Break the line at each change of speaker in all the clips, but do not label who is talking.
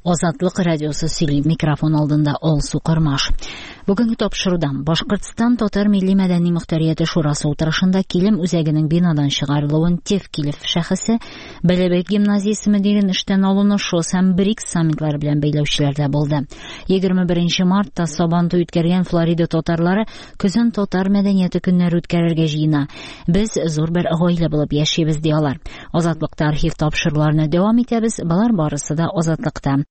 Азатлык радиосы сөйли, микрофон алдында Алсу Кормаш. Бүгенге тапшыруда Башкортстан татар милли мәдәни мөхтәрияте шурасы утырышында Килем үзәгенең бинадан чыгарылуын Тевкелев шәхесе, Бәләбәй гимназиясе мөдирен эштән алуны ШОС һәм БРИКС саммитлары белән бәйләүчеләр дә булды. 21 мартта Сабантуй үткәргән Флорида татарлары көзен татар мәдәнияте көннәре үткәрергә җыена. Без зур бер гаилә булып яшибез, ди алар. Азатлыкта архив тапшыруларны дәвам итәбез. Болар барысы да Азатлыкта.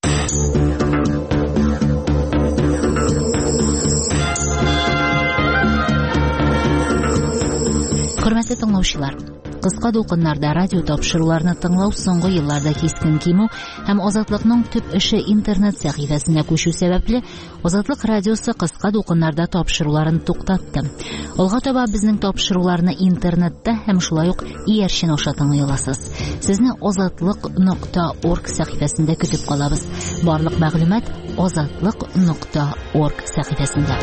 Хөрмәтле тыңлаучылар, кыска дулкыннарда радио тапшыруларны тыңлау соңгы елларда кискен кимү һәм Азатлыкның төп эше интернет сәхифәсенә күчү сәбәпле, Азатлык радиосы кыска дулкыннарда тапшыруларын туктатты. Алга таба безнең тапшыруларны интернетта һәм шулай ук иярчен аша тыңлый аласыз. Сезне азатлык.орг сәхифәсендә көтеп калабыз. Барлык мәгълүмат азатлык.орг сәхифәсендә.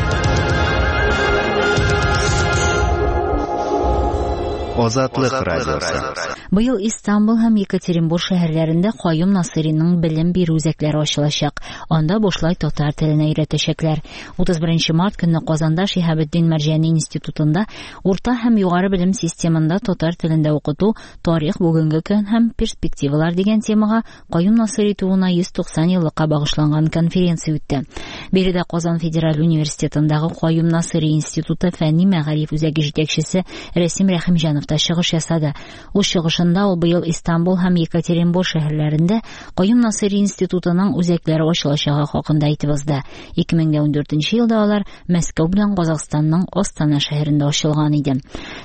Азатлык радиосы.
Быел Истанбул һәм Екатеринбур шәһәрләрендә Каюм Насыйриның белем бирү үзәкләре ачылачак. Анда бушлай татар теленә өйрәтәчәкләр. 31 март көнне Казанда Шиһабетдин Мәрҗани институтында урта һәм югары белем системында татар телендә укыту, тарих, бүгенге көн һәм перспективалар дигән темага Каюм Насыйри тууына 190 еллыкка багышланган конференция үтте. Биредә Казан федераль университетындагы Каюм Насыйри институты фәнни мәгариф үзәге җитәкчесе Рәсим Рәхимҗанов та чыгыш ясады. Үз чыгышында ул быел Истанбул һәм Екатеринбур шәһәрләрендә Каюм Насыйри институтының үзәкләре ачылачагы хакында әйтеп узды. 2014 елда алар Мәскәү белән Казахстанның Астана шәһәрендә ачылган иде.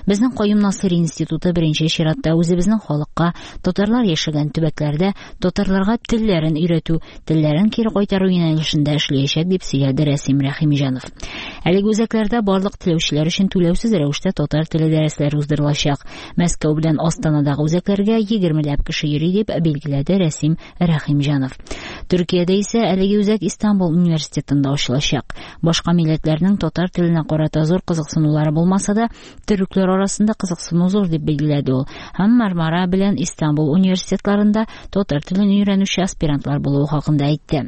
Безнең Каюм Насыйри институты беренче чиратта үзебезнең халыкка, татарлар яшәгән төбәкләрдә татарларга телләрен өйрәтү, телләрен кире кайтару юнәлешендә эшләячәк, дип сөйләде Рәсим Рәхимҗанов. Әлеге үзәкләрдә барлык теләүчеләр өчен түләүсез рәвештә татар теле дәресләре уздырылачак. Мәскәү белән Астанадагы үзәкләргә 20ләп кеше йөри, дип билгеләде Рәсим Рәхимҗанов. Төркиядә исә әлеге үзәк Истанбул университетында ачылачак. Башка милләтләрнең татар теленә карата зур кызыксынулары булмаса да, төрекләр арасында кызыксыну зур, дип билгеләде ул. Һәм Мармара белән Истанбул университетларында татар телен өйрәнүче аспирантлар булуы хакында әйтте.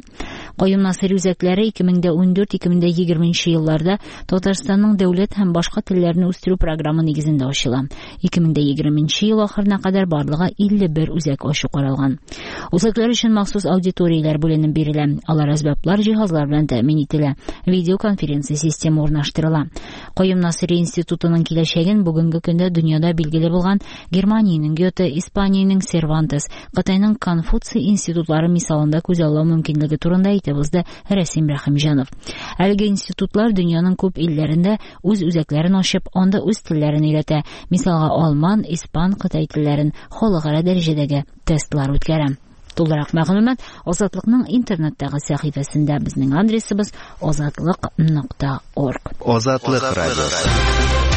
Каюм Насыйри үзәкләре 2014-2020 елларда Татарстанның дәүләт һәм башка телләрне үстерү программы нигезендә ачыла. 2020 ел ахырына кадәр барлыгы 51 үзәк ачу каралган. Үзәкләр өчен махсус аудиторияләр бүленеп бирелә. Алар әсбаплар, җиһазлар белән тәэмин ителә. Видеоконференция системы урнаштырыла. Каюм Насыйри институтының киләчәген бүгенге көндә дөньяда билгеле булган Германиянең Гёте, Испаниянең Сервантес, Кытайның Конфуций институтлары мисалында күзаллау мөмкинлеге турында әйтеп узды Рәсим Рәхимҗанов. Әлеге институтлар дөньяның күп илләрендә үз үзәкләрен ачып, анда үз телләрен өйрәтә. Мисалга, алман, испан, кытай телләрен халыкара дәрәҗәдәге тестлар үткәрә. Тулырак мәгълүмат Азатлыкның интернеттагы сәхифәсендә. Безнең адресыбыз азатлык.орг.
Азатлык радиосы.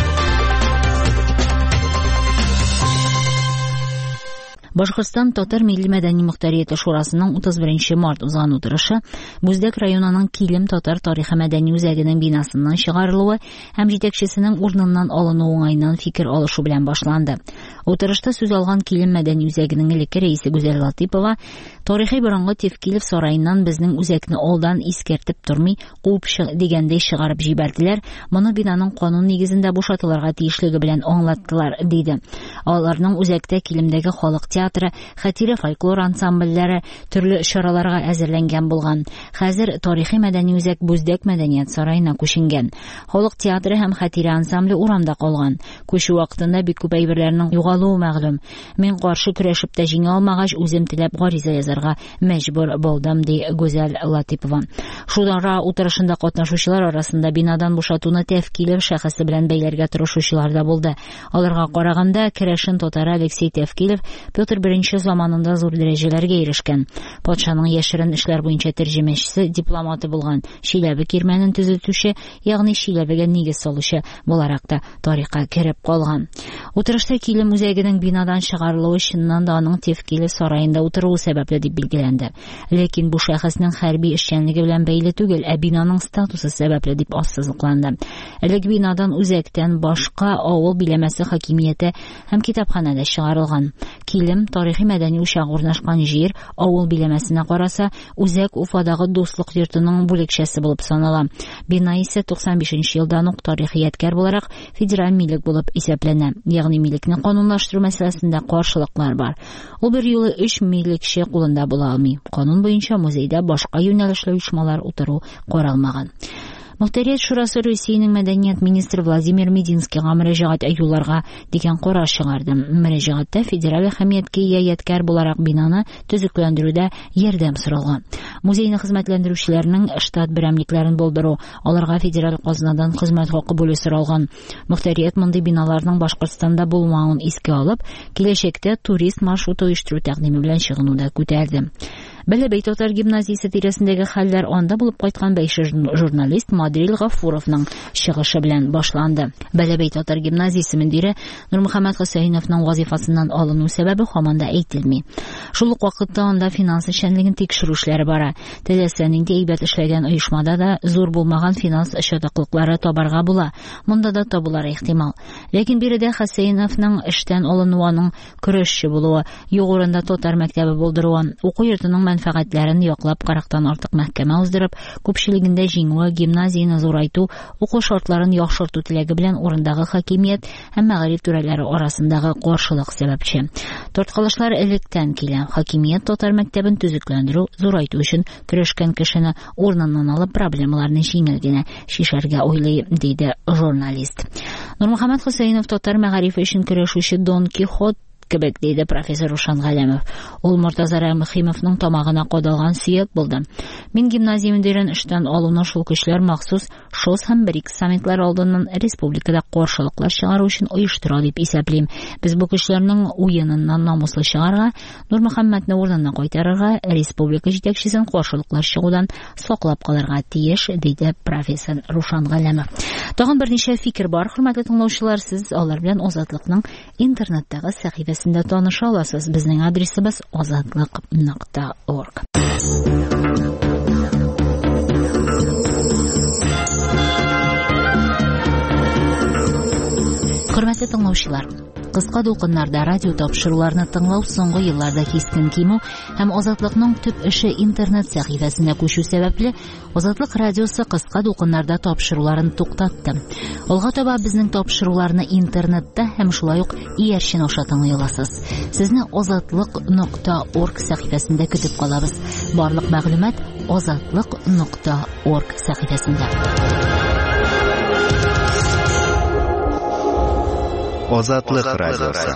Башкортстан татар милли мәдәни мөхтәрияте шурасының 31 март узган утырышы Бүздәк районының Килем татар тарихы мәдәни үзәгенең бинасыннан чыгарылуы һәм җитәкчесенең урыныннан алынуы уңаеннан фикер алышу белән башланды. Утырышта сүз алган Килем мәдәни үзәгенең элекке рәисе Гүзәл Латыпова тарихи борынгы Тевкелев сараеннан безнең үзәкне алдан искәртеп тормый, куып дигәндәй чыгарып җибәрделәр. Моны бинаның канун нигезендә бушатылырга тиешлеге белән аңлаттылар, диде. Аларның үзәктә Килемдәге халык театры, Хәтирә фольклор ансамбльләре төрле чараларга әзерләнгән булган. Хәзер тарихи мәдәни үзәк Бүздәк мәдәният сараена күченгән. Халык театры һәм Хәтирә ансамбле урамда калган. Күчү вакытында бик күп әйберләрнең югалуы мәгълүм. Мин каршы көрәшеп тә җиңә алмагач, үзем теләп гариза язарга мәҗбүр булдым, ди Гүзәл Латыпова. Шура утырышында катнашучылар арасында бинадан бушатуны Тевкелев шәхесе белән бәйләргә тырышучылар да булды. Аларга караганда, керәшен татары Алексей Тевкелев Петр I заманында зур дәрәҗәләргә ирешкән. Патшаның яшерен эшләр буенча тәрҗемәчесе, дипломаты булган, Чиләбе кирмәнен төзетүче, ягъни Чиләбегә нигез салучы буларак та тарихка кереп калган. Утырышта Килем үзәгенең бинадан чыгарылуы чыннан да аның Тевкелев сараенда утыруы сәбәпле дип билгеләнде. Ләкин бу шәхеснең хәрби эшчәнлеге белән бәйле түгел, ә бинаның статусы сәбәпле дип ассызыкланды. Элек бинадан үзәктән башка авыл биләмәсе хакимияте һәм китапханәдә чыгарылган. Килем Исем, тарихи-мәдәни учак урнашкан җир, авыл биләмәсенә караса, үзәк Уфадагы Дуслык йортының бүлекчәсе булып санала. Бина исә 95 нче елдан ук тарихи ядкәр буларак федераль милек булып исәпләнә. Ягъни милекне канунлаштыру мәсьәләсендә каршылыклар бар. Ул берьюлы өч милекче кулында була алмый. Канун буенча музейда башка юнәлешле оешмалар утыру каралмаган. Мохтарият шурасы Русиянең мәдәният министры Владимир Мединскийга мөрәҗәгать юлларга дигән карар чыгарды. Мөрәҗәгатьтә федераль әһәмияткә ия ядкәр буларак бинаны төзекләндерүдә ярдәм соралган. Музейны хезмәтләндерүчеләрнең штат берәмлекләрен булдыру, аларга федераль казнадан хезмәт хакы бүлү соралган. Мохтарият мондый биналарның Башкортстанда булмавын искә алып, киләчәктә турист маршруты оештыру тәкъдиме белән чыгуны да күтәрде. Бәләбәй татар гимназиясе тирәсендәге хәлләр анда булып кайткан бәйше журналист Мадрил Гафуровның чыгышы белән башланды. Бәләбәй татар гимназиясе мөдире Нурмөхәммәт Хөсәеновның вазифасыннан алыну сәбәбе һаман да әйтелми. Шул ук вакытта анда финанс эшчәнлеген тикшерү эшләре бара. Теләсә нинди әйбәт эшләгән оешмада да зур булмаган финанс чатаклыклары табарга була. Монда да табулары ихтимал. Ләкин биредә Хөсәеновның эштән алынуы аның көрәшче булуы, юк урында татар мәктәбе булдыруы, уку йортының мәнфәгатьләрен яклап 40-тан артык мәхкәмә уздырып, күпчелегендә җиңүе, гимназияне зурайту, уку шартларын яхшырту теләге белән урындагы хакимият һәм мәгариф түрәләре арасындагы каршылык сәбәпче. Тарткалашлар электән килә. Хакимият татар мәктәбен төзекләндерү, зурайту өчен көрәшкән кешене урыныннан алып проблемаларны җиңел генә чишәргә уйлый, диде журналист. Нурмөхәммәт Хөсәенов татар мәгарифе өчен көрәшүче Дон Кихот кебек, диде профессор Рушан Галәмов. Ул Мортаза Рәхимовның тамагына кадалган сөяк булды. Мин гимназия мөдирен эштән алуны шул көчләр махсус ШОС һәм БРИКС саммитлары алдыннан республикада каршылыклар чыгару өчен оештыра дип исәплим. Без бу көчләрнең уеныннан намуслы чыгарга, Нурмөхәммәтне урынына кайтарырга, республика җитәкчесен каршылыклар чыгудан саклап калырга тиеш, диде профессор Рушан Галәмов. Тагын берничә фикер бар, хөрмәтле тыңлаучылар, сез алар белән Азатлыкның интернеттагы сәхифәсендә таныша аласыз. Безнең адресыбыз azatliq.org. Хөрмәтле тыңлаучылар, кыска дулкыннарда радио тапшыруларны тыңлау соңгы елларда кискен кимү һәм Азатлыкның төп эше интернет сәхифәсенә күчү сәбәпле, Азатлык радиосы кыска дулкыннарда тапшыруларын туктатты. Алга таба безнең тапшыруларны интернетта һәм шулай ук иярчен аша тыңлый аласыз. Сезне azatliq.org сәхифәсендә көтеп калабыз. Барлык мәгълүмат azatliq.org сәхифәсендә.
Азатлык радиосы.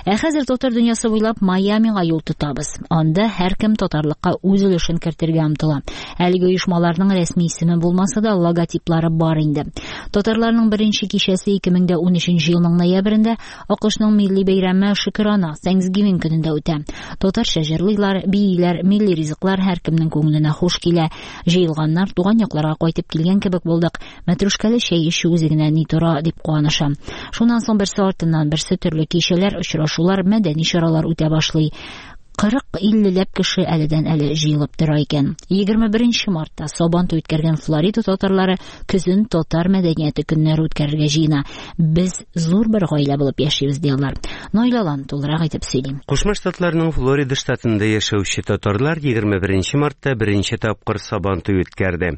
Ә хәзер татар дөньясы буйлап Майамига юл тотабыз. Анда һәркем татарлыкка үз өлешен кертергә омтыла. Әлеге оешмаларның рәсми исеме булмаса да, логотиплары бар инде. Татарларның беренче кичәсе 2013 елның ноябрендә АКШның милли бәйрәме Шөкерана Thanksgiving көнендә үтә. Татарча җырлыйлар, бииләр, милли ризыклар һәркемнең күңеленә хуш килә. Җыелганнар туган якларга кайтып килгән кебек булдык. Мәтрүшкәле чәй эчү үзе генә ни тора дип куаныша. Шуннан соң берсе артыннан берсе төрле кичәләр, очрашулар, мәдәни чаралар үтә башлый. 40-50ләп кеше әледән әле җыелып тора икән. 21 мартта Сабантуй үткәргән Флорида татарлары көзен татар мәдәнияте көннәре үткәрергә җыена. Без зур бер гаилә булып яшибез, ди алар. Наил Алан тулырак әйтеп сөйли.
Кушма Штатларның Флорида штатында яшәүче татарлар 21 мартта беренче тапкыр Сабантуй үткәрде.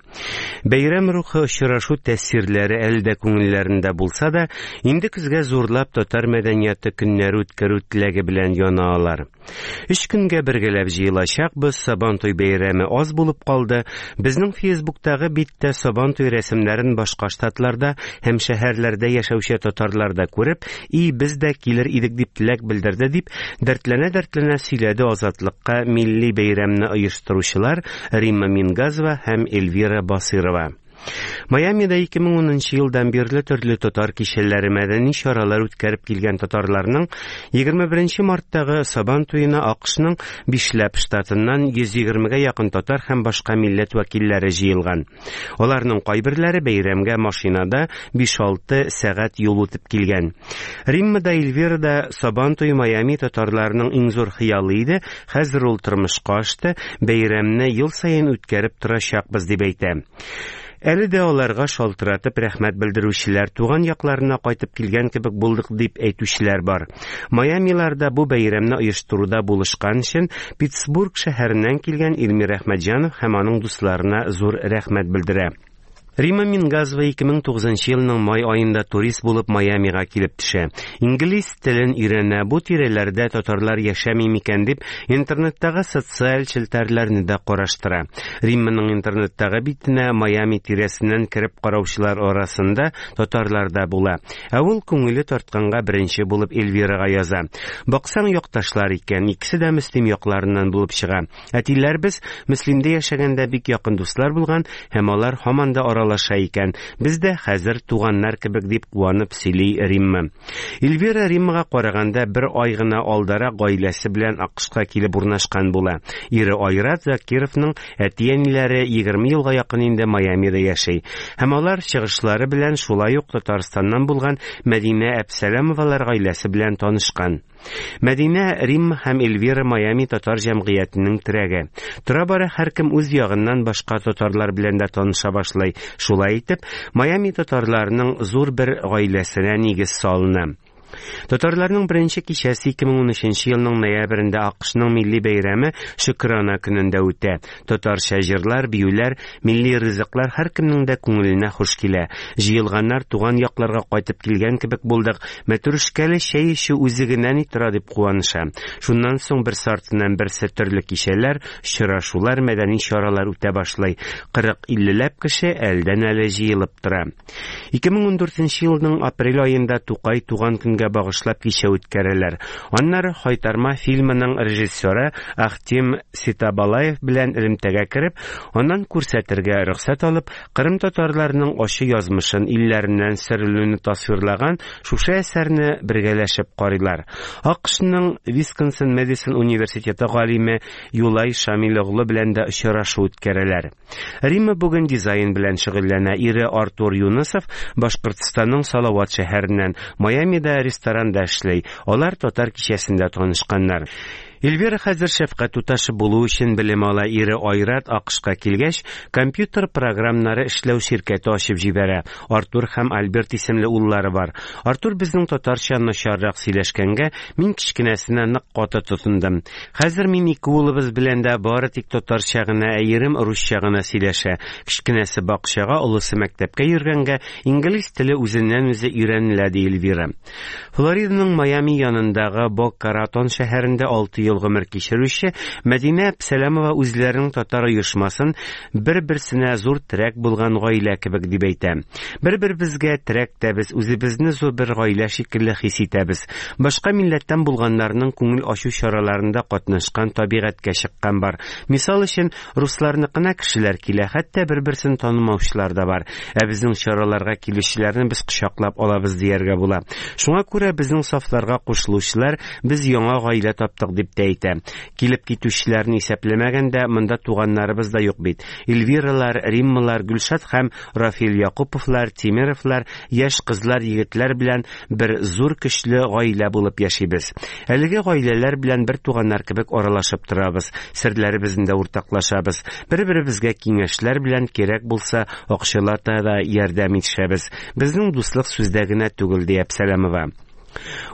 Бәйрәм рухы, очрашу тәэсирләре әле дә күңелләрендә булса да, инде көзгә зурлап татар мәдәнияте көннәре үткәрү теләге белән яна алар. Өч көнгә бергәләп җыелачакбыз, Сабантуй бәйрәме аз булып калды. Безнең Фейсбуктагы биттә Сабантуй рәсемнәрен башка штатларда һәм шәһәрләрдә яшәүче татарлар да күреп, и без дә килер идек дип теләк белдерде, дип дәртләнә-дәртләнә сөйләде Азатлыкка милли бәйрәмне оештыручылар Римма Мингазова һәм Эльвира Басырова. Майамида 2010 елдан бирле төрле татар кичәләре, мәдәни чаралар үткәреп килгән татарларның 21 марттагы Сабан туена АКШның бишләп штатыннан 120гә якын татар һәм башка милләт вәкилләре җыелган. Аларның кайберләре бәйрәмгә машинада 5-6 сәгать юл үтеп килгән. Римма да Эльвира да Сабан туе Майами татарларының иң зур хыялы иде, хәзер ул тормышка ашты, бәйрәмне ел саен үткәреп торачакбыз дип әйтә. Әле дә аларга шалтыратып рәхмәт белдерүчеләр, туган якларына кайтып килгән кебек булдык дип әйтүчеләр бар. Майамиларда бу бәйрәмне оештыруда булышкан өчен Питтсбург шәһәреннән килгән Илмир Әхмәтҗанов һәм аның дусларына зур рәхмәт белдерә. Рима Мингазова 2009 елның май аенда турист булып Майамига килеп төшә. Инглиз телен өйрәнә, бу тирәләрдә татарлар яшәми микән дип, интернеттагы социаль челтәрләрне дә караштыра. Римманың интернеттагы битенә Майами тирәсеннән кереп караучылар арасында татарлар да була. Ә ул күңеле тартканга беренче булып Эльвирага яза. Баксаң, якташлар икән, икесе дә Мөслим якларыннан булып чыга. Әтиләребез Мөслимдә яшәгәндә бик якын дуслар булган һәм алар һаман да аралаша икән. Без дә хәзер туганнар кебек, дип куанып сөйли Римма. Эльвира Риммага караганда бер ай гына алдарак гаиләсе белән АКШка килеп урнашкан була. Ире Айрат Закировның әти-әниләре 20 елга якын инде Майамида яши. Һәм алар чыгышлары белән шулай ук Татарстаннан булган Мәдинә Әпсәләмовалар гаиләсе белән танышкан. Мәдинә, Римма һәм Эльвира Майами татар җәмгыятенең терәге. Тора-бара һәркем үз ягыннан башка татарлар белән дә таныша башлый. Шулай итеп, Майами татарларының зур бер гаиләсенә нигез салына. Татарларның беренче кичәсе 2013 елның ноябрендә АКШның милли бәйрәме Шөкрана көнендә үтә. Татарча җырлар, биюләр, милли ризыклар һәркемнең дә күңеленә хуш килә. Җыелганнар туган якларга кайтып килгән кебек булдык, мәтрүшкәле чәй эчү үзе генә ни тора дип куаныша. Шуннан соң берсе артыннан берсе төрле кичәләр, очрашулар, мәдәни чаралар үтә башлый. 40-50ләп кеше әлдән-әле җыелып тора. 2014 елның апрель аенда Тукай туган көнгә багышлап кичә үткәрәләр. Аннары Хайтарма фильмының режиссеры Ахтем Ситабалаев белән элемтәгә кереп, аннан күрсәтергә рөхсәт алып, Кырым татарларының ачы язмышын, илләреннән сөрелүне тасвирлаган шушы әсәрне бергәләшеп карыйлар. АКШның Висконсин-Мэдисон университеты галиме Юлай Шамил оглы белән дә очрашу үткәрәләр. Римма бүген дизайн белән шөгыльләнә. Ире Артур Юнысов Башкортстанның Салават шәһәреннән, Майамида ресторанда эшли. Алар татар кичәсендә танышканнар. Эльвира хәзер шәфкать туташы булу өчен белем ала. Ире Айрат АКШка килгәч, компьютер програмнары эшләү ширкәте ачып җибәрә. Артур һәм Альберт исемле уллары бар. Артур безнең татарча начаррак сөйләшкәнгә, мин кечкенәсенә нык каты тотындым. Хәзер мин ике улыбыз белән дә бары тик татарча гына, ә ирем русча гына сөйләшә. Кечкенәсе бакчага, олысы мәктәпкә йөргәнгә, инглиз теле үзеннән-үзе өйрәнелә, ди Эльвира. Флориданың Майами янындагы Бока-Ратон шәһәрендә 6 ел гомер кичерүче Мәдинә Әпсәләмова үзләренең татар оешмасын бер-берсенә зур терәк булган гаилә кебек дип әйтә. Бер-беребезгә терәк тә без, үзебезне зур бер гаилә шикелле хис итәбез. Башка милләттән булганнарның күңел ачу чараларында катнашкан, табигатькә чыккан бар. Мисал өчен, русларныкына кешеләр килә, хәтта бер-берсен танымаучылар да бар. Ә безнең чараларга килүчеләрне без кочаклап алабыз дияргә була. Шуңа күрә безнең сафларга кушылучылар без яңа гаилә таптык дип тә әйтә. Килеп китүчеләрне исәпләмәгәндә, монда туганнарыбыз да юк бит. Эльвиралар, Риммалар, Гөлшат һәм Рафил Якуповлар, Тимеровлар, яшь кызлар, егетләр белән бер зур көчле гаилә булып яшибез. Әлеге гаиләләр белән бер туганнар кебек аралашып торабыз, серләребезне дә уртаклашабыз. Бер-беребезгә киңәшләр белән кирәк булса, акчалата да ярдәм итешәбез. Безнең дуслык сүздә генә түгел, ди Әпсәләмова.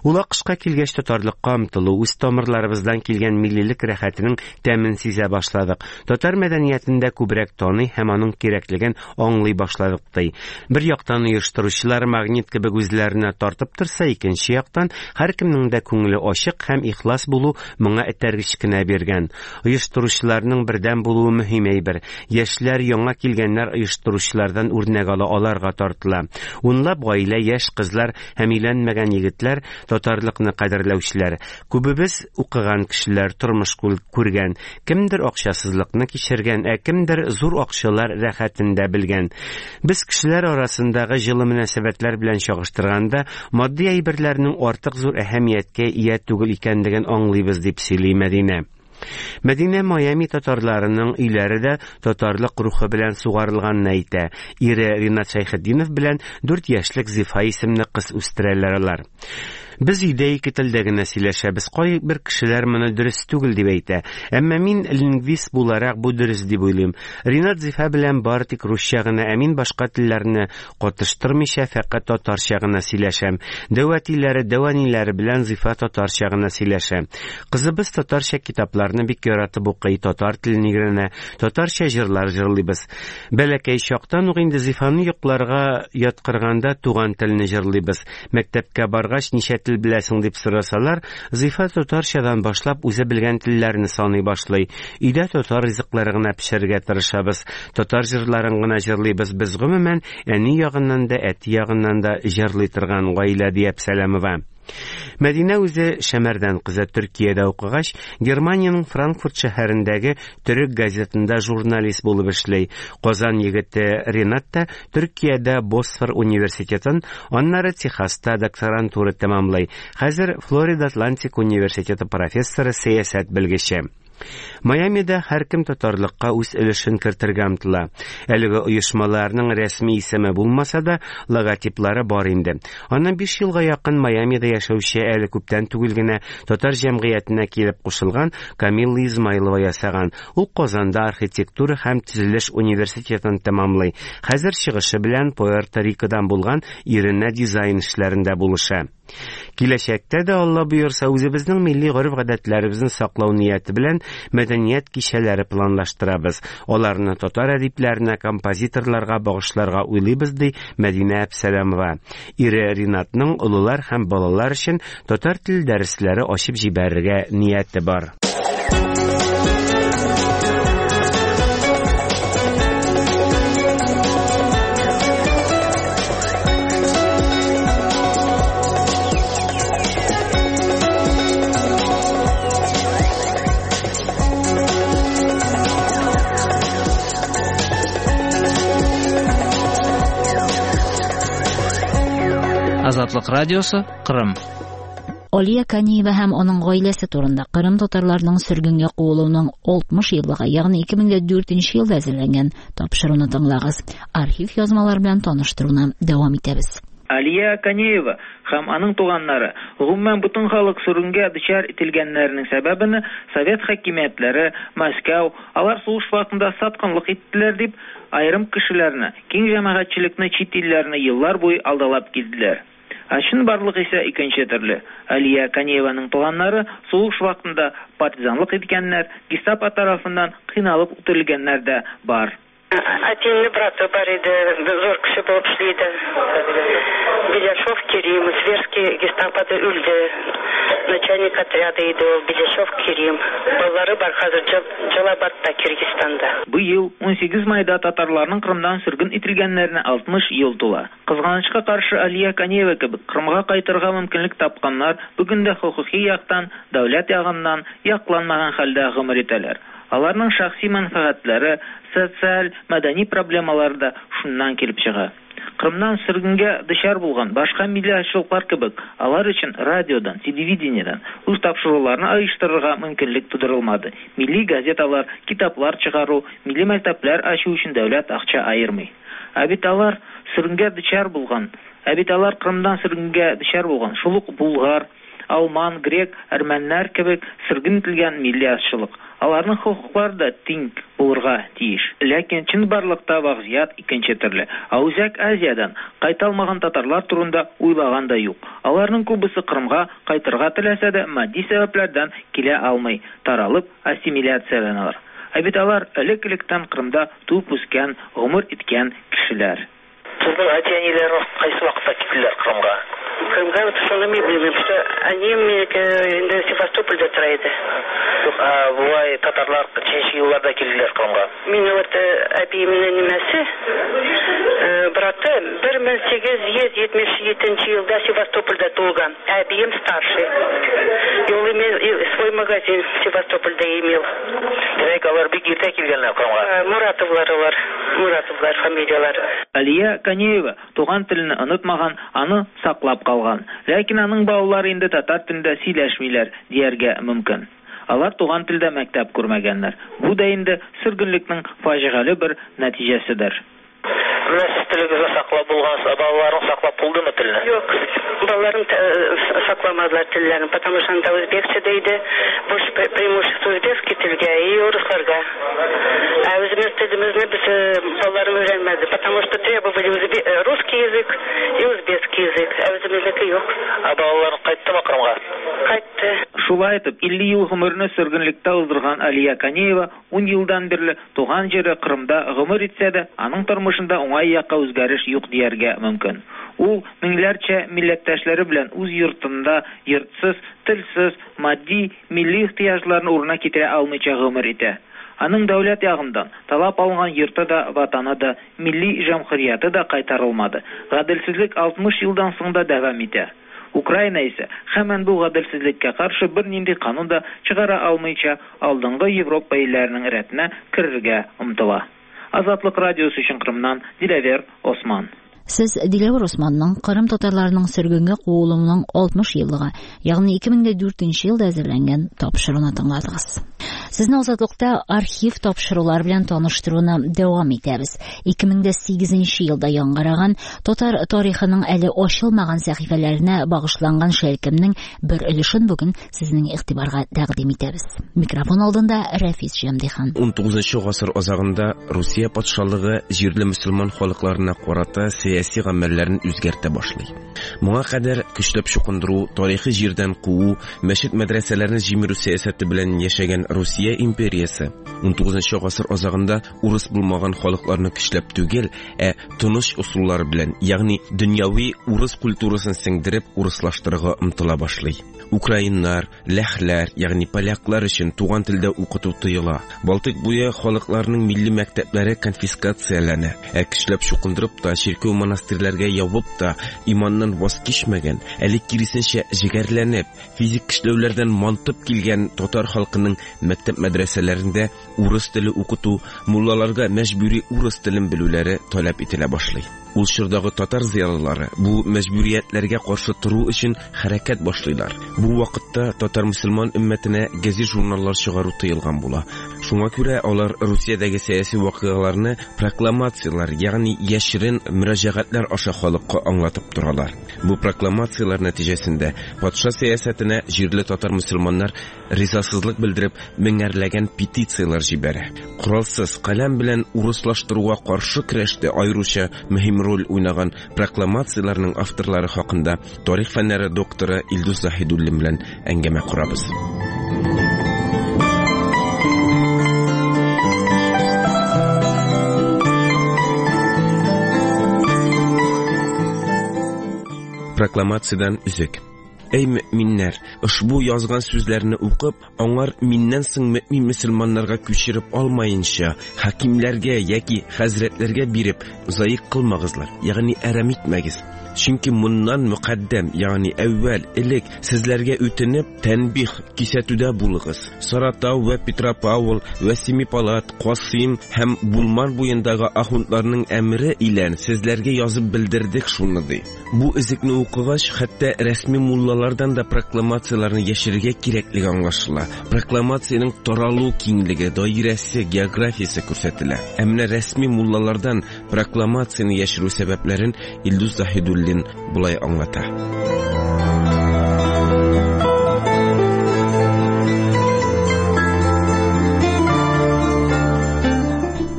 Ул АКШка килгәч татарлыкка омтылу, үз тамырларыбыздан килгән миллилек рәхәтенең тәмен сизә башладык. Татар мәдәниятен дә күбрәк таный һәм аның кирәклеген аңлый башладык, ди. Бер яктан оештыручылар магнит кебек үзләренә тартып торса, икенче яктан һәркемнең дә күңеле ачык һәм ихлас булу моңа этәргеч кенә биргән. Оештыручыларның бердәм булуы мөһим әйбер. Яшьләр, яңа килгәннәр оештыручылардан үрнәк ала, аларга тартыла. Унлап гаилә, яшь кызлар һәм өйләнмәгән егетләр, татарлыкны кадерләүчеләр. Күбебез укыган кешеләр, тормыш күргән. Кемдер акчасызлыкны кичергән, ә кемдер зур акчалар рәхәтен дә белгән. Без кешеләр арасындагы җылы мөнәсәбәтләр белән чагыштырганда, матди әйберләрнең артык зур әһәмияткә ия түгел икәнлеген аңлыйбыз, дип сөйли Мәдинә. Мәдинә Майами татарларының өйләре дә татарлык рухы белән сугарылганын әйтә. Ире Ринат Шәйхетдинов белән 4 яшьлек Зифа исемле кыз үстерәләр алар. Без өйдә ике телдә генә сөйләшәбез. Кайбер кешеләр моны дөрес түгел дип әйтә. Әмма мин лингвист буларак бу дөрес дип уйлыйм. Ринат Зифа белән бары тик русча гына, ә мин башка телләрне катыштырмыйча фәкать татарча гына сөйләшәм. Дәү әтиләре, дәү әниләре белән Зифа татарча гына сөйләшә. Кызыбыз татарча китапларны бик яратып укый, татар телен өйрәнә, татарча җырлар җырлыйбыз. Бәләкәй чактан ук инде Зифаны йокларга яткырганда туган телне җырлыйбыз. Мәктәпкә баргач, ничә тел беләсең дип сорасалар, Зифа татарчадан башлап үзе белгән телләрне саный башлый. Өйдә татар ризыклары гына пешерергә тырышабыз, татар җырларын гына җырлыйбыз. Без гомумән әни ягыннан да, әти ягыннан да җырлый торган гаилә, ди Әпсәләмова. Мәдинә үзе Шәмәрдән кызы Төркиядә укыгач, Германиянең Франкфурт шәһәрендәге төрек газетында журналист булып эшли. Казан егете Ренат та Төркиядә Босфор университетын, аннары Техаста докторантура тәмамлый. Хәзер Флорида Атлантик университеты профессоры, сәясәт белгече. Майамида һәркем татарлыкка үз өлешен кертергә омтыла. Әлеге оешмаларның рәсми исеме булмаса да, логотиплары бар инде. Аннан 5 елга якын Майамида яшәүче әле күптән түгел генә татар җәмгыятенә килеп кушылган Камилла Измайлова ясаган. Ул Казанда архитектура һәм төзелеш университетын тәмамлый. Хәзер чыгышы белән Пуэрто-Рикодан булган иренә дизайн эшләрендә булыша. Киләчәктә дә, Алла боерса, үзебезнең милли гореф-гадәтләребезне саклау нияте белән мәдәният кичәләре планлаштырабыз. Аларны татар әдипләренә, композиторларга багышларга уйлыйбыз, ди Мәдинә Әпсәләмова. Ире Ринатның олылар һәм балалар өчен татар теле дәресләре ачып җибәрергә нияте бар.
Азатлык радиосы, Кырым.
Алия Каниева һәм аның гаиләсе турында Кырым татарларының сөргенгә куылуының 60 еллыгы, ягъни 2004 елда әзерләнгән тапшыруны тыңлагыз. Архив язмалар белән таныштыруны дәвам итәбез.
Алия Канеева һәм аның туганнары, гомумән бөтен халык сөргенгә дучар ителгәннәренең сәбәбене совет хакимиятләре, Мәскәү, алар сугыш вакытында саткынлык иттеләр дип, аерым кешеләрне, киң җәмәгатьчелекне чит илләрне еллар буе алдалап килделәр. Ә чынбарлык исә икенче төрле. Алия Канееваның туганнары сугыш вакытында партизанлык иткәннәр, гестапо тарафыннан кыйналып үтерелгәннәр дә бар.
Әтиемнең браты бар иде, зур кеше булып эшли иде. Беляшов Керим, Зверский гестапода үлде. Начальник отряда иде ул, Беляшов Керим. Балалары бар хәзер Джалабадта, Киргизстанда.
Быел 18 майда татарларның Кырымнан сөрген ителгәннәренә 60 ел тула. Кызганычка каршы, Алия Канеева кебек Кырымга кайтырга мөмкинлек тапканнар бүген дә хокукый яктан, дәүләт ягыннан якланмаган хәлдә гомер итәләр. Аларның шәхси мәнфәгатьләре, социаль, мәдәни проблемалары да шуннан килеп чыга. Кырымнан сөргенгә дучар булган башка милли азчылыклар кебек, алар өчен радиодан, телевидениедән үз тапшыруларны оештырырга мөмкинлек тудырылмады, милли газеталар, китаплар чыгару, милли мәктәпләр ачу өчен дәүләт акча аермый. Ә бит алар сөргенгә дучар булган, ә бит алар Кырымнан сөргенгә дучар булган шул ук булгар, алман, грек, әрмәннәр кебек сөрген ителгән милли азчылык. Аларның хокуклары да тиң булырга тиеш. Ләкин чынбарлыкта вазгыять икенче төрле. Ә Үзәк Азиядән кайта алмаган татарлар турында уйлаган да юк. Аларның күбесе Кырымга кайтырга теләсә дә, матди сәбәпләрдән килә алмый, таралып, ассимиляцияләнәләр. Ә бит алар элек-электән Кырымда туып-үскән, гомер иткән кешеләр.
Сезнең әти-әниләрегез кайсы вакытта киттеләр Кырымга?
Кырымга вот шуны мин белмим, что әнием минеке инде Севастопольдә тора иде.
Юк, ә болай татарлар ничәнче елларда килделәр Кырымга?
Мине вот әбиемнең нимәсе, браты 1877 елда Севастопольдә туылган. Әбием старший. И ул имел свой магазин в Севастопольдә имел.
Димәк, алар бик иртә килгәннәр Кырымга.
Муратовлар алар, Муратовлар фамилияләре.
Алия Канеева туган телене онытмаган, аны саклап калган. Ләкин аның балалары инде татар телендә сөйләшмиләр, дияргә мөмкин. Алар туган телдә мәктәп күрмәгәннәр. Бу да инде сөргенлекнең фаҗигале бер нәтиҗәседер.
Менә сез телегезне саклап булгансыз, ә балаларың саклап булдымы телне?
Юк, балаларым сакламадылар телләрен, потому что анда үзбекчә дә иде. Больше преимущество узбекский телгә и урысларга. Ә үзебез телебезне без балаларым өйрәнмәде, потому что требовали русский язык и узбекский язык, ә үзебезнеке юк.
Ә балаларың кайттымы Кырымга?
Кайтты.
Шулай итеп, 50 ел гомерне сөргенлектә уздырган Алия Канеева 10 елдан бирле туган җире Кырымда гомер итсә дә, аның тормышында уңай якка үзгәреш юк дияргә мөмкин. Ул меңләрчә милләттәшләре белән үз йортында йортсыз, телсез, матди, милли ихтыяҗларын урынына китерә алмыйча гомер итә. Аның дәүләт ягыннан талап алынган йорты да, ватаны да, милли җәмгыяте дә кайтарылмады. Гаделсезлек 60 елдан соң да дәвам итә. Украина исә һаман бу гаделсезлеккә каршы бернинди канун да чыгара алмыйча алдынгы Европа илләренең рәтенә керергә омтыла. Азатлык радиосы өчен Кырымнан Диләвер Осман.
Сез Диләвер Османның Кырым татарларының сөргенгә куылуының 60 еллыгы, ягъни 2004 елда әзерләнгән тапшыруны тыңладыгыз. Сезне Азатлыкта архив тапшырулар белән таныштыруны дәвам итәбез. 2008 елда яңгыраган татар тарихының әле ачылмаган сәхифәләренә багышланган шәлкемнең бер өлешен бүген сезнең игътибарга тәкъдим итәбез. Микрофон алдында Рәфис Җәмдихан.
19 гасыр азагында Русия патшалыгы җирле мөселман халыкларына карата сәяси гамәлләрен үзгәртә башлый. Моңа кадәр көчләп чукындыру, тарихи җирдән куу, мәчет мәдрәсәләрне җимерү сәясәте белән яшәгән Русия империясе 19 гасыр азагында урыс булмаган халыкларны көчләп түгел, ә тыныч ысуллар белән, ягъни дөньяви урыс культурасын сеңдереп урыслаштырырга омтыла башлый. Украиннар, ләхләр, ягъни поляклар өчен туган телдә укыту тыела. Балтык буе халыкларының милли мәктәпләре конфискацияләнә. Ә көчләп чукындырып та, чиркәү монастырьләргә ябып та иманнан ваз кичмәгән, әле киресенчә җегәрләнеп, физик көчләүләрдән мантып килгән татар халкының мәктәп мәдрәсәләрендә урыс теле укыту, муллаларга мәҗбүри урыс телен белүләре таләп ителә башлый. Ул чордагы татар зыялылары бу мәҗбүриятләргә каршы тору өчен хәрәкәт башлыйлар. Бу вакытта татар мөселман өммәтенә газет-журналлар чыгару тыелган була. Шуңа күрә алар Русиядәге сәяси вакыйгаларны прокламацияләр, ягъни яшерен мөрәҗәгатьләр аша халыкка аңлатып торалар. Бу прокламацияләр нәтиҗәсендә патша сәясәтенә җирле татар мөселманнар ризасызлык белдереп меңәрләгән петицияләр җибәрә. Коралсыз каләм белән урыслаштыруга каршы көрәштә аеруча мөһим роль уйнаган прокламацияләрнең авторлары хакында тарих фәннәре докторы Илдус Заһидуллин белән әңгәмә корабыз. Прокламациядән өзек. Эй мөминнәр, ошбу язган сүзләрне укып, аңар миннән соң мөмин мөселманнарга күчереп алмаенча, хакимләргә яки хәзрәтләргә биреп, заик кылмагызлар, ягъни әрәм итмәгез. Чөнки моннан мөкаддәм, ягъни әүвәл, элек сезләргә үтенеп, тәнбих, кисәтүдә булыгыз. Саратау вә Петропавл вә Семипалат, Касыйм һәм Булман буендагы ахундларның әмере илән сезләргә язып белдердек шуны, ди. Бу өзекне укыгач, хәтта рәсми муллалардан да прокламацияләрне яшерергә кирәклеге аңлашыла. Прокламациянең таралу киңлеге, даирәсе, географиясе күрсәтелә. Ә менә рәсми муллалардан прокламацияне яшерү сәбәпләрен Илдус Заһидуллин болай аңлата.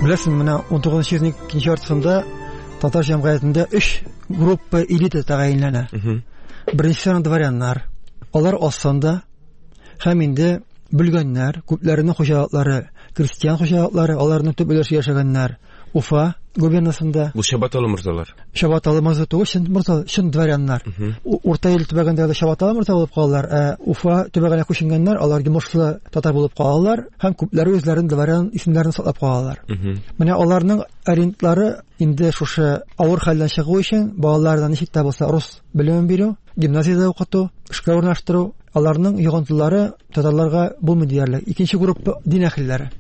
Беләсең, менә 19 йөзнең икенче яртысында татар җәмгыятендә 3 группа элита тәгаенләнә. Беренчесе дворяннар. Алар аз санда һәм инде бүлгәннәр, күпләренең хуҗалыклары, крестьян хуҗалыклары, аларның төп өлеше яшәгәннәр Уфа губернасында.
Бу Чабаталы морзалар.
Чабаталы морза түгел, чын морза, чын дворяннар. Урта Ил төбәгендә дә Чабаталы морза булып калалар, ә Уфа төбәгенә күченгәннәр, алар йомышлы татар булып калалар һәм күпләре үзләрен дворян исемнәрен саклап калалар. Менә аларның ориентлары инде шушы авыр хәлдән чыгу өчен балаларына ничек тә булса рус белемен бирү, гимназиядә укыту, эшкә урнаштыру, аларның йогынтылары татарларга булмый диярлек. Икенче группа дин әһелләре.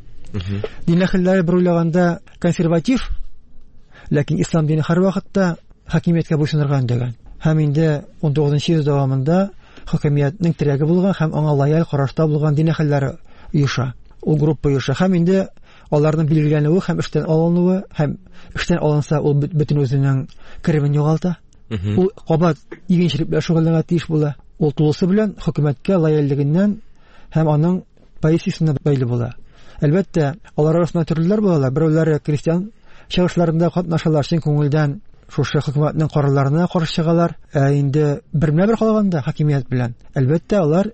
Дин әһелләре бер уйлаганда консерватив, ләкин ислам дине һәрвакытта хакимияткә буйсынырга өндәгән. Һәм инде 19 йөз дәвамында хакимиятнең терәге булган һәм аңа лояль карашта булган дин әһелләре оеша. Ул группа оеша. Һәм инде Аларның билгеләнүе һәм эштән алынуы, һәм эштән алынса, ул бөтен үзенең керемен югалта. Ул кабат игенчелек белән шөгыльләнергә тиеш була. Ул тулысы белән хөкүмәткә лояльлегеннән һәм аның позициясенә бәйле була. Әлбәттә, алар арасында төрлеләр булалар. Берәүләре крестьян чыгышларында катнашалар, чын күңелдән шушы хөкүмәтнең карарларына каршы чыгалар. Ә инде бермә-бер калганда хакимият белән, әлбәттә, алар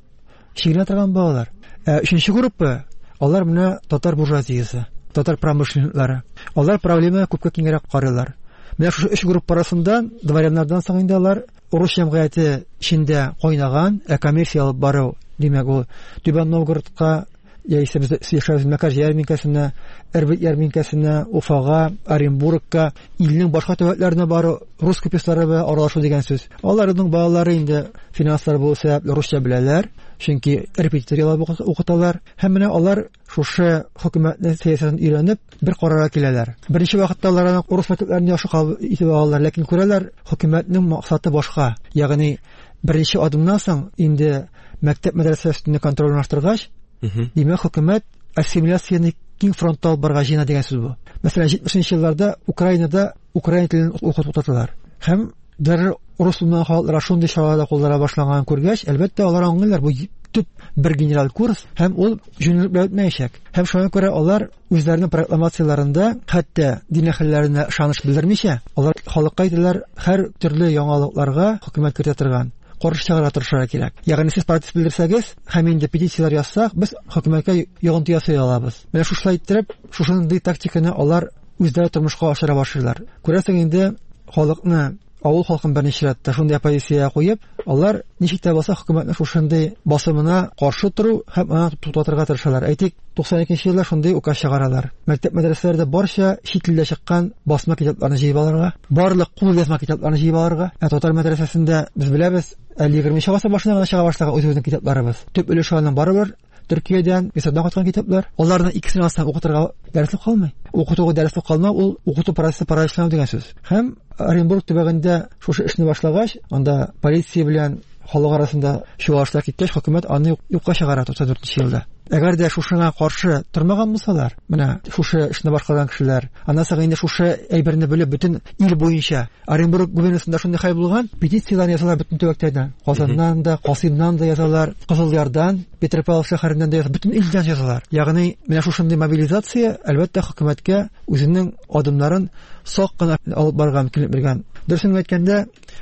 чигенә торган булалар. Ә өченче группа, алар менә татар буржуазиясе, татар промышленниклары. Алар проблемага күпкә киңрәк карыйлар. Менә шушы өч группа арасында дворяннардан соң инде алар урыс җәмгыяте эчендә кайнаган, ә коммерция алып бару, димәк, ул Түбән Новгородка яисә без яшәбез Мәкәр ярминкәсенә, Эрбет ярминкәсенә, Уфага, Оренбургка, илнең башка төбәкләренә бару, рус купецлары белән аралашу дигән сүз. Аларның балалары инде финанслар булу сәбәпле русча беләләр, чөнки репетитор яллап укыталар. Һәм менә алар шушы хөкүмәтнең сәясәтен өйрәнеп, бер карарга киләләр. Беренче вакытта алар аны урыс мәктәпләрен яхшы кабул итеп алалар, ләкин күрәләр, хөкүмәтнең максаты башка. Ягъни беренче адымнан соң инде мәктәп мәдрәсә өстендә контроль урнаштыргач, димәк, хөкүмәт ассимиляцияне киң фронтта алып барырга җыена дигән сүз бу. Мәсәлән, 70 елларда Украинада украин телен укыту туктаталар. Һәм дәррәү урыс булмаган халыкларга шундый чаралар да куллана башланганын күргәч, әлбәттә, алар аңлыйлар, бу төп бер генераль курс һәм ул җүнлелек белән үтмәячәк. Һәм шуңа күрә алар үзләренең прокламацияләрендә хәтта дин әһелләренә ышаныч белдермичә, алар халыкка әйтәләр, һәр төрле яңалыкларга хөкүмәт кертә торган каршы чыгарга тырышырга кирәк. Ягъни сез протест белдерсәгез һәм инде петицияләр язсак, без хөкүмәткә йогынты ясый алабыз. Менә шушылай иттереп, шушындый тактиканы алар үзләре тормышка ашыра башлыйлар. Күрәсең инде, халыкны, авыл халкын берничә чиратта шундый оппозициягә куеп, алар ничек тә булса хөкүмәтнең шушындый басымына каршы тору һәм аны туктатырга тырышалар. Әйтик, 92 елда шундый указ чыгаралар. Мәктәп мәдрәсәләрдә барча чит илдә чыккан басма китапларны җыеп алырга, барлык кул язма китапларны җыеп алырга. Ә татар мәдрәсәсендә без беләбез, әле 20 гасыр башында гына чыга башлаган үзебезнең китапларыбыз. Төп өлеше аның барыбер Төркиядән, Мисырдан кайткан китаплар. Аларның икесен алсаң укытырга дәреслек калмый. Укытуга дәреслек калмау ул укыту процессы параличлану дигән сүз. Һәм Оренбург төбәгендә шушы эшне башлагач, анда полиция белән халык арасында чуалышлар киткәч, хөкүмәт аны юкка чыгара 94 елда. Әгәр дә шушыңа каршы тормаган булсалар, менә шушы эшне башкарган кешеләр, аннан соң инде шушы әйберне белеп бөтен ил буенча Оренбург губернасында шундый хәл булган, петицияләр язалар бөтен төбәкләрдән. Казаннан да, Касыймнан да язалар, Кызылъярдан, Петропавловск шәһәреннән дә язалар, бөтен илдән язалар. Ягъни менә шушындый мобилизация, әлбәттә, хөкүмәткә үзенең адымнарын сак кына алып барырга мөмкинлек биргән. Дөресен әйткәндә,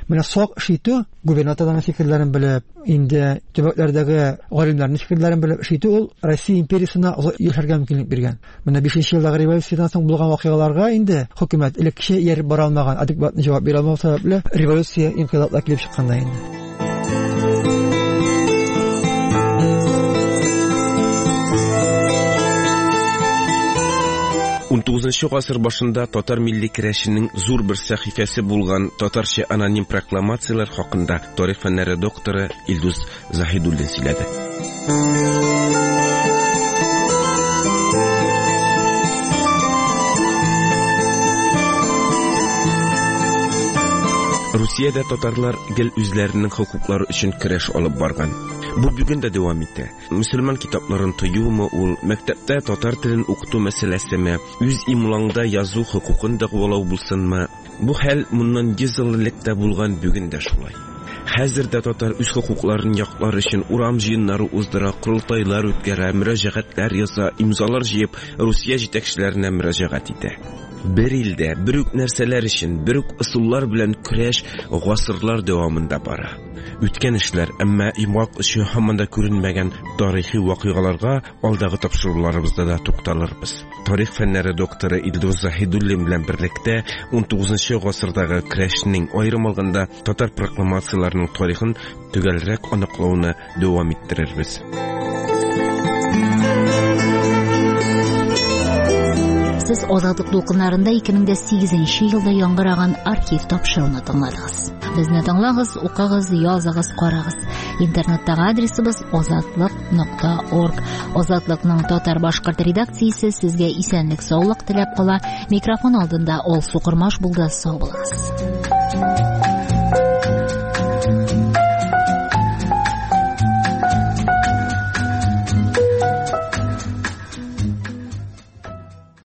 менә сак эш итү, губернаторларның фикерләрен белеп, инде төбәкләрдәге галимнәрнең фикерләрен белеп эш итү ул Россия империясенә озак яшәргә мөмкинлек биргән. Менә 5 елдагы революциядән соң булган вакыйгаларга инде хөкүмәт элеккечә ияреп бара алмаган, адекватный җавап бирә алмау сәбәпле революция, инкыйлаблар килеп чыккан да инде.
Унтугызынчы гасыр башында татар милли керәшенең зур бер сәхифәсе булган татарча аноним прокламацияләр хакында тарих фәннәре докторы Илдус Заһидуллин сөйләде. Русиядә татарлар гел үзләренең хокуклары өчен көрәш алып барган. Бу бүген дә дәвам итә. Мөселман китапларын тыюмы ул, мәктәптә татар телен укыту мәсьәләсеме, үз имлаңда язу хокукын дәгъвалау булсынмы, бу хәл моннан 100 ел элек тә булган, бүген дә шулай. Хәзер дә татар үз хокукларын яклар өчен урам җыеннары уздыра, корылтайлар үткәрә, мөрәҗәгатьләр яза, имзалар җыеп, Русия җитәкчеләренә мөрәҗәгать итә. Бер илдә бер үк нәрсәләр өчен, бер үк ысуллар белән көрәш гасырлар дәвамында бара. Үткән эшләр, әмма йомгак очы һаман да күренмәгән тарихи вакыйгаларга алдагы тапшыруларыбызда да тукталырбыз. Тарих фәннәре докторы Илдус Заһидуллин белән берлектә 19 гасырдагы көрәшнең, аерым алганда, татар прокламацияләренең тарихын төгәлрәк аныклауны дәвам иттерербез.
Сез Азатлык дулкыннарында 2008 елда яңгыраган архив тапшыруны тыңладыгыз. Безне тыңлагыз, укыгыз, языгыз, карагыз. Интернеттагы адресыбыз азатлык.орг. Азатлыкның татар-башкорт редакциясе сезгә исәнлек, саулык теләп кала. Микрофон алдында Алсу Кормаш булды. Сау булыгыз.